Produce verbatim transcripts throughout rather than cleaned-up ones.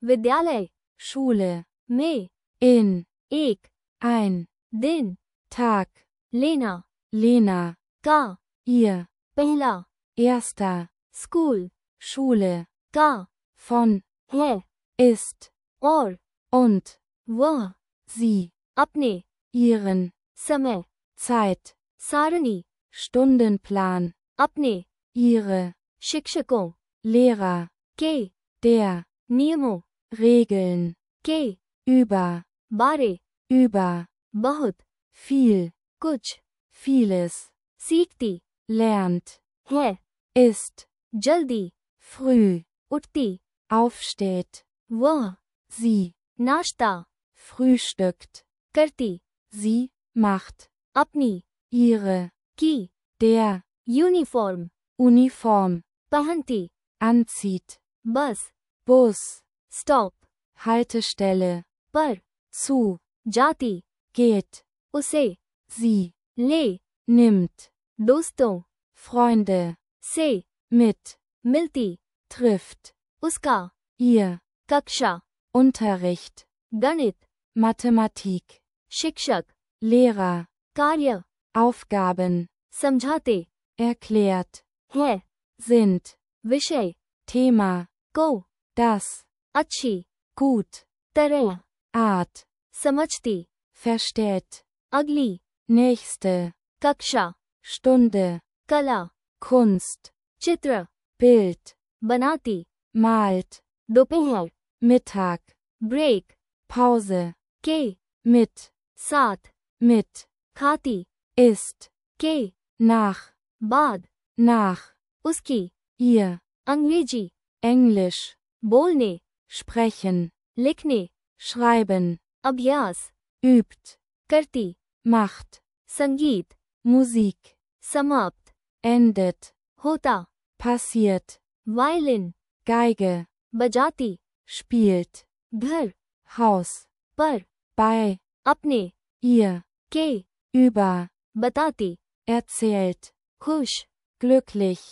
विद्यालय Schule, में in, एक ein, दिन Tag, लेना Lena, का ihr, पहला erster, स्कूल Schule, का von, है ist, और und, वह sie, अपने ihren, समय Zeit, सारणी Stundenplan, अपने ihre, शिक्षकों Lehrer, के der, नियमों Regeln, के über, बारे über, बहुत viel, कुछ vieles, सीखती lernt, है ist, जल्दी früh, उठती aufsteht, वह sie, नाश्ता frühstückt, करती sie, macht, अपनी ihre, की der, यूनिफॉर्म Uniform, पहनती anzieht, बस Bus, स्टॉप Haltestelle, पर zu, जाती geht, उसे sie, ले nimmt, दोस्तों Freunde, से mit, मिलती trifft, उसका ihr, कक्षा Unterricht, गणित Mathematik, शिक्षक Lehrer, कार्य Aufgaben, समझाते erklärt, है sind, विषय Thema, को das, अच्छी gut, तरह Art, समझती versteht, अगली nächste, कक्षा Stunde, कला Kunst, चित्र Bild, बनाती malt, दोपहर Mittag, ब्रेक Pause, के mit, साथ mit, खाती ist, के nach, बाद nach, उसकी ihr, अंग्रेजी Englisch, बोलने sprechen, लिखने schreiben, अभ्यास übt, करती macht, संगीत Musik, समाप्त endet, होता passiert, वायलिन Geige, बजाती spielt, घर Haus, पर bei, अपने ihr, के über, बताती erzählt, खुश glücklich,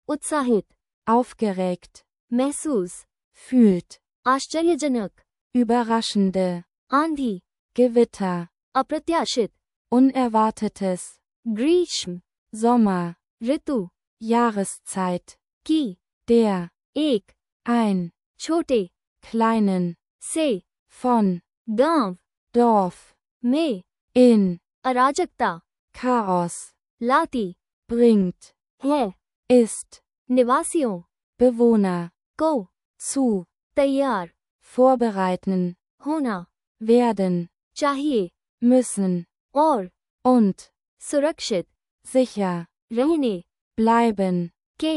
उत्साहित aufgeregt, महसूस fühlt, आश्चर्यजनक überraschende, आंधी Gewitter, अप्रत्याशित Unerwartetes, ग्रीष्म Sommer, ऋतु Jahreszeit, की der, एक ein, छोटे kleinen, से von, गांव Dorf, में in, अराजकता Chaos, लाती bringt, है ist, निवासियों Bewohner, को zu, तैयार vorbereiten, होना werden, चाहिए müssen, और und, सुरक्षित sicher, रहने bleiben, के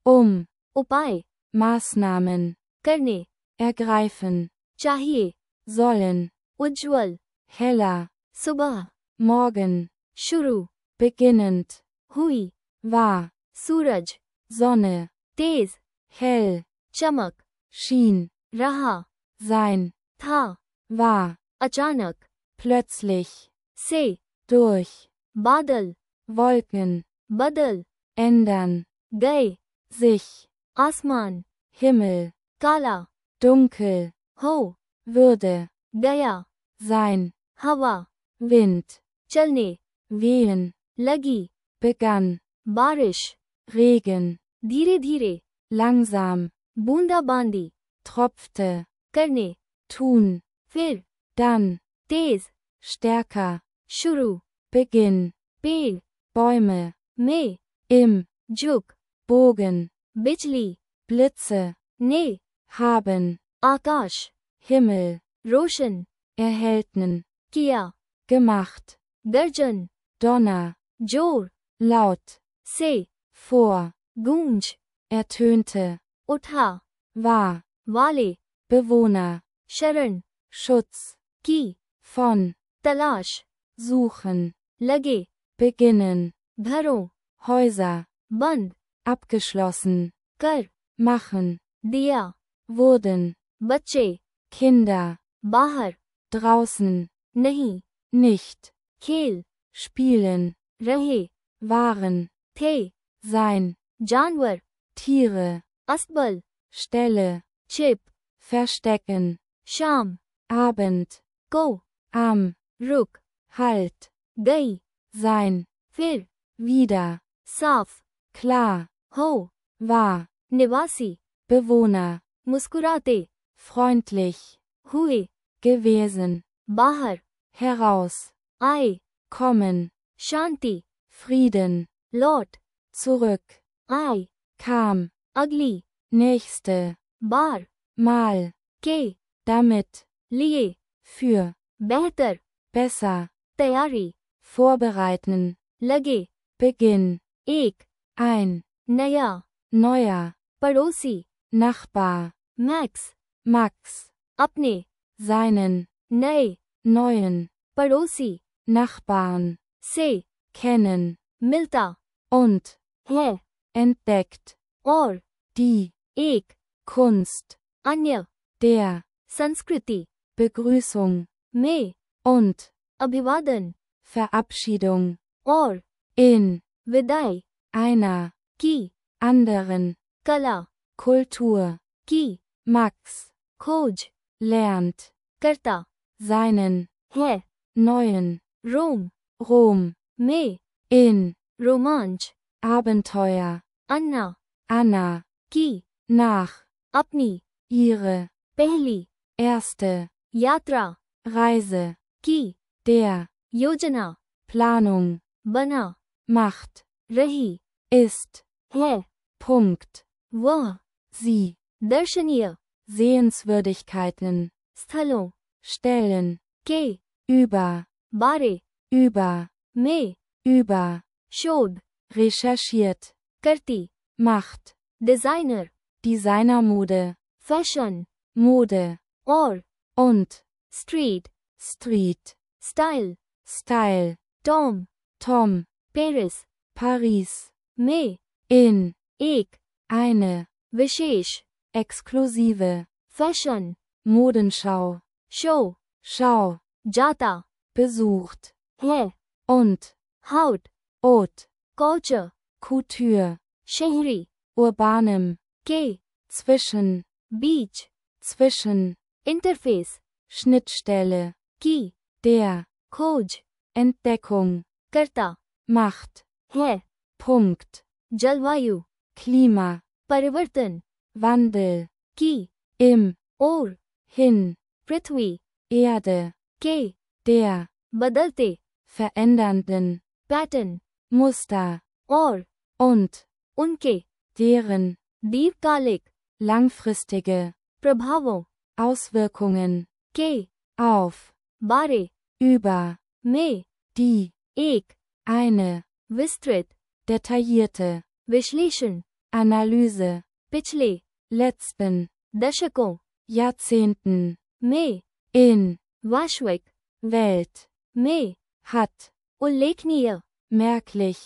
um, उपाय Maßnahmen, करने ergreifen, चाहिए sollen, उज्ज्वल heller, सुबह morgen, शुरू beginnend, हुई war, सूरज Sonne, तेज hell, चमक schien, रहा sein, था war, अचानक plötzlich, से durch, बादल Wolken, बदल ändern, गए sich, आसमान Himmel, काला dunkel, हो würde, गया sein, हवा Wind, चलने wehen, लगी begann, बारिश Regen, धीरे धीरे langsam, बूंदाबांदी tropfte, करने tun, फिर dann, तेज stärker, शुरू Beginn, पेड़ Bäume, में im, झुक Bogen, बिजली Blitze, ने haben, आकाश Himmel, रोशन erhellten, किया gemacht, गर्जन Donner, जोर laut, से vor, गूंज ertönte, उठा war, वाले Bewohner, शरण Schutz, की von, तलाश suchen, लगे beginnen, घरों Häuser, बंद abgeschlossen, कर machen, दिया wurden, बच्चे Kinder, बाहर draußen, नहीं nicht, खेल spielen, रहे waren, थे sein, जानवर Tiere, असबल Stelle, छिप verstecken, शाम, Abend, को, am, रुक, halt, गई, sein, फिर, wieder, साफ, klar, हो, war, निवासी, Bewohner, मुस्कुराते, freundlich, हुए, gewesen, बाहर, heraus, आए, kommen, शांति, Frieden, लौट, zurück, आए, kam, अगली, nächste, बार, mal, के, damit, लिए, für, बेहतर, besser, तैयारी, vorbereiten, लगे, Beginn, एक, ein, नया, neuer, पड़ोसी, Nachbar, मैक्स, Max, अपने, seinen, नए, neuen, पड़ोसी, Nachbarn, से, kennen, मिलता, und, है, entdeckt, और, die, एक, Kunst, अन्य, der, संस्कृति, Begrüßung, में, und, अभिवादन, Verabschiedung, और, in, विदाई, einer, की, anderen, कला, Kultur, की, Max, खोज, lernt, करता, seinen, है, neuen, रोम, Rom, में, in, रोमांच, Abenteuer, अन्ना, Anna, की, nach, अपनी, ihre, पहली, erste, यात्रा, Reise, की, der, योजना, Planung, बना, macht, रही, ist, है, Punkt, वह, sie, दर्शनीय, Sehenswürdigkeiten, स्थलों, stellen, के, über, बारे, über, में, über, शोध, recherchiert, करती, macht, designer, Designermode, fashion, Mode, और, und, street, Street, style, Style, Tom, Tom, Paris, Paris, में, in, एक, eine, विशेष, exklusive, fashion, Modenschau, show, Schau, जाता, besucht, है, und, हाउट, haute, कल्चर, Couture, शहरी, urbanem, के, zwischen, बीच, zwischen, इंटरफेस, Schnittstelle, की, der, खोज, Entdeckung, करता, macht, है, Punkt, जलवायु, Klima, परिवर्तन, Wandel, की, im, और, hin, पृथ्वी, Erde, के, der, बदलते, verändernden, पैटर्न, Muster, और, und, उनके, deren, दीर्घकालिक, langfristige, प्रभावों, Auswirkungen, के, auf, बारे, über, में, die, एक, eine, विस्तृत, detaillierte, विश्लेषण, Analyse, पिछले, letzten, दशकों, Jahrzehnten, में, in, वैश्विक, Welt, में, hat, उल्लेखनीय, merklich,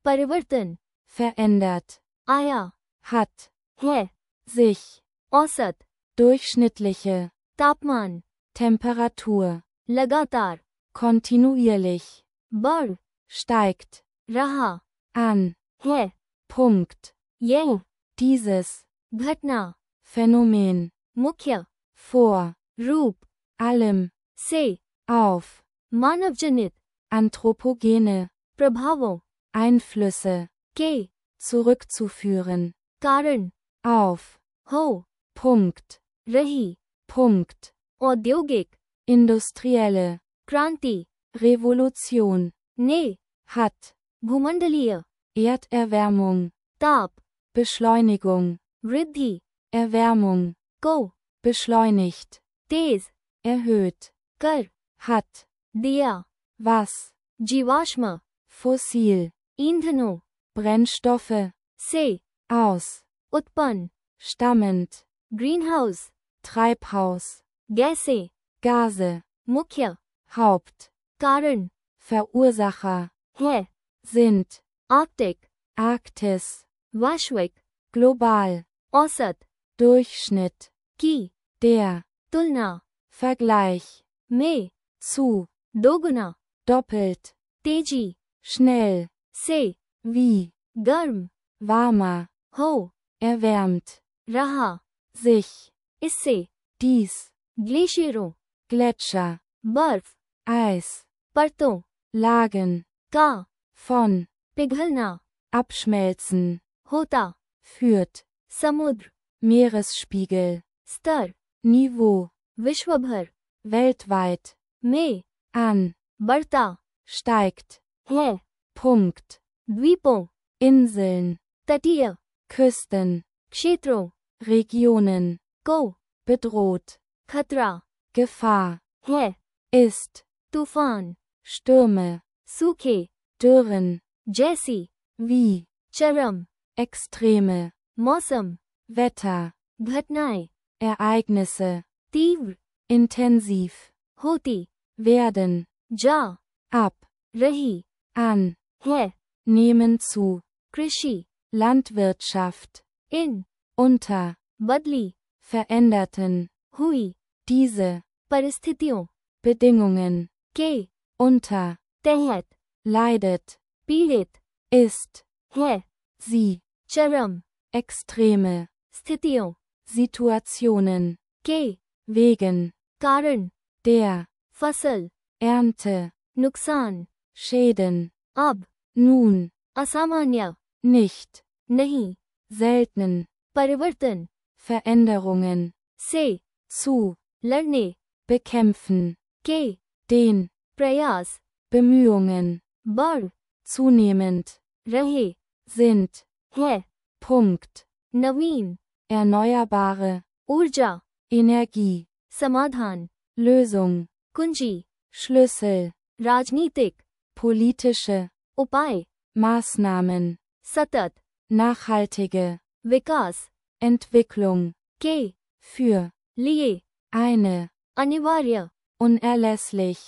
परिवर्तन, verändert, आया, hat, है, sich, औसत, durchschnittliche, तापमान, Temperatur, लगातार, kontinuierlich, बढ़, steigt, रहा, an, है, Punkt, यह, dieses, घटना, Phänomen, मुख्य, vor, रूप, allem, से, auf, मानवजनित, anthropogene, प्रभावों, Einflüsse, के, zurückzuführen, कारण, auf, हो, Punkt, रही, Punkt, औद्योगिक, industrielle, क्रांति, Revolution, ने, hat, भूमंडलीय, Erderwärmung, ताप, Beschleunigung, वृद्धि, Erwärmung, को, beschleunigt, तेज, erhöht, कर, hat, दिया, was, जीवाश्म, fossil, ईंधनों, Brennstoffe, से, aus, उत्पन्न, stammend, ग्रीनहाउस, Treibhaus, गैसें, Gase, मुख्य, Haupt, कारण, Verursacher, है, sind, आर्कटिक, Arktis, वैश्विक, global, औसत, Durchschnitt, की, der, तुलना, Vergleich, में, zu, दोगुना, doppelt, तेजी, schnell, से, wie, गर्म, warmer, हो, erwärmt, रहा, sich, इससे, dies, ग्लेशियरों, Gletscher, बर्फ, Eis, परतों, Lagen, का, von, पिघलना, abschmelzen, होता, führt, समुद्र, Meeresspiegel, स्तर, Niveau, विश्वभर, weltweit, में, an, बढ़ता, steigt, है, Punkt, द्वीपों, Inseln, तटीय, Küsten, क्षेत्रों, Regionen, को, bedroht, खतरा, Gefahr, है, ist, तूफान, Stürme, सूखे, Dürren, जैसी, wie, चरम, Extreme, मौसम, Wetter, घटनाएं, Ereignisse, तीव्र, intensiv, होती, werden, जा, ab, रही, an, है, nehmen zu, कृषि, Landwirtschaft, इन, unter, बदली, veränderten, हुई, diese, परिस्थितियों, Bedingungen, के, unter, तहत, leidet, पीड़ित, ist, है, sie, चरम, extreme, स्थितियों, Situationen, के, wegen, कारण, der, फसल, Ernte, नुकसान, Schäden, अब, nun, असामान्य, nicht, नहीं, selten, परिवर्तन, Veränderungen, से, zu, लड़ने, bekämpfen, के, den, प्रयास, Bemühungen, बढ़, zunehmend, रहे, sind, है, Punkt, नवीन, erneuerbare, ऊर्जा, Energie, समाधान, Lösung, कुंजी, Schlüssel, राजनीतिक, politische, उपाय, Maßnahmen, सतत, nachhaltige, विकास, Entwicklung, के, für, लिए, eine, अनिवार्य, unerlässlich,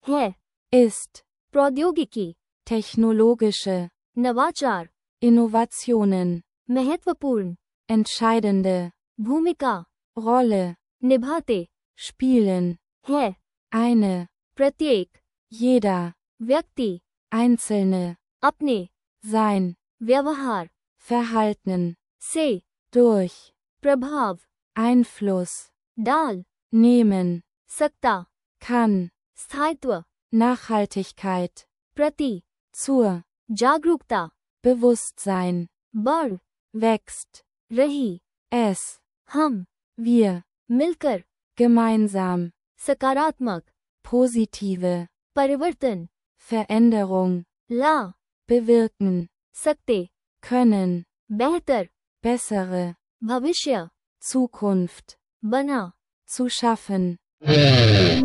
है, ist, प्रौद्योगिकी, technologische, नवाचार, Innovationen, महत्वपूर्ण, entscheidende, भूमिका, Rolle, निभाते, spielen, है, eine, प्रत्येक, jeder, व्यक्ति, einzelne, अपने, sein, व्यवहार, Verhalten, से, durch, प्रभाव, Einfluss, डाल, nehmen, सकता, kann, स्थायित्व, Nachhaltigkeit, प्रति, zur, जागरूकता, Bewusstsein, बढ़, wächst, रही, es, हम, wir, मिलकर, gemeinsam, सकारात्मक, positive, परिवर्तन, Veränderung, ला, bewirken, सकते, können, बेहतर, bessere, भविष्य, Zukunft, बना, zu schaffen.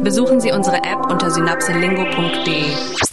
Besuchen Sie unsere App unter synapselingo punkt de.